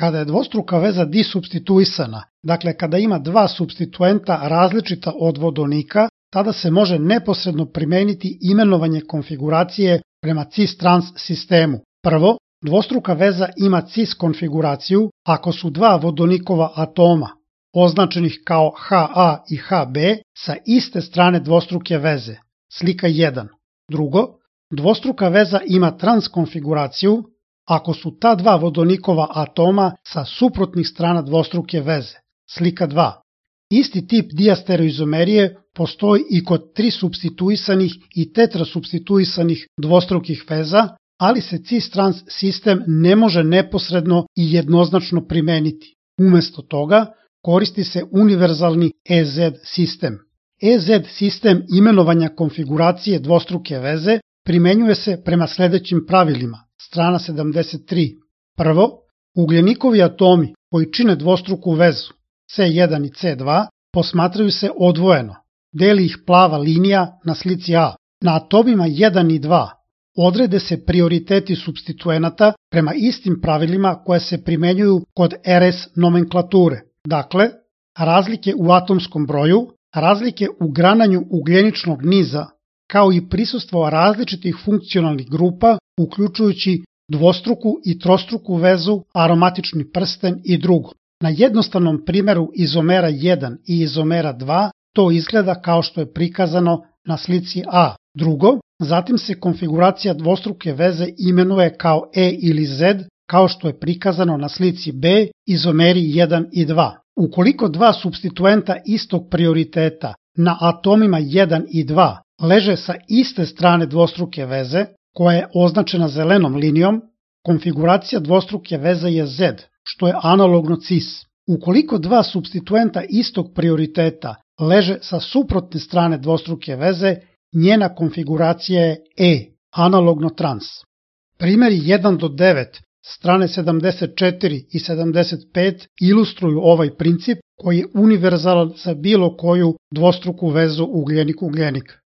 Kada je dvostruka veza disupstituisana, dakle kada ima dva supstituenta različita od vodonika, tada se može neposredno primeniti imenovanje konfiguracije prema cis-trans sistemu. Prvo, dvostruka veza ima cis konfiguraciju ako su dva vodonikova atoma, označenih kao Ha i Hb, sa iste strane dvostruke veze. Slika 1. Drugo, dvostruka veza ima trans konfiguraciju ako su ta dva vodonikova atoma sa suprotnih strana dvostruke veze. Slika 2. Isti tip diastereoizomerije postoji i kod trisupstituisanih i tetrasupstituisanih dvostrukih veza, ali se cis-trans sistem ne može neposredno i jednoznačno primeniti. Umesto toga, koristi se univerzalni EZ sistem. EZ sistem imenovanja konfiguracije dvostruke veze primenjuje se prema sledećim pravilima. Strana 73. Prvo, ugljenikovi atomi koji čine dvostruku vezu C1 i C2 posmatraju se odvojeno. Deli ih plava linija na slici A. Na atomima 1 i 2 odrede se prioriteti supstituenata prema istim pravilima koje se primenjuju kod RS nomenklature. Dakle, razlike u atomskom broju, razlike u grananju ugljeničnog niza, kao i prisustvo različitih funkcionalnih grupa, uključujući dvostruku i trostruku vezu, aromatični prsten i drugo. Na jednostavnom primeru izomera 1 i izomera 2 to izgleda kao što je prikazano na slici A. Drugo, zatim se konfiguracija dvostruke veze imenuje kao E ili Z, kao što je prikazano na slici B, izomeri 1 i 2. Ukoliko dva supstituenta istog prioriteta na atomima 1 i 2 leže sa iste strane dvostruke veze, koja je označena zelenom linijom, konfiguracija dvostruke veze je Z, što je analogno cis. Ukoliko dva supstituenta istog prioriteta leže sa suprotne strane dvostruke veze, njena konfiguracija je E, analogno trans. Primeri 1 do 9, strane 74 i 75 ilustruju ovaj princip koji je univerzalan za bilo koju dvostruku vezu ugljenik-ugljenik.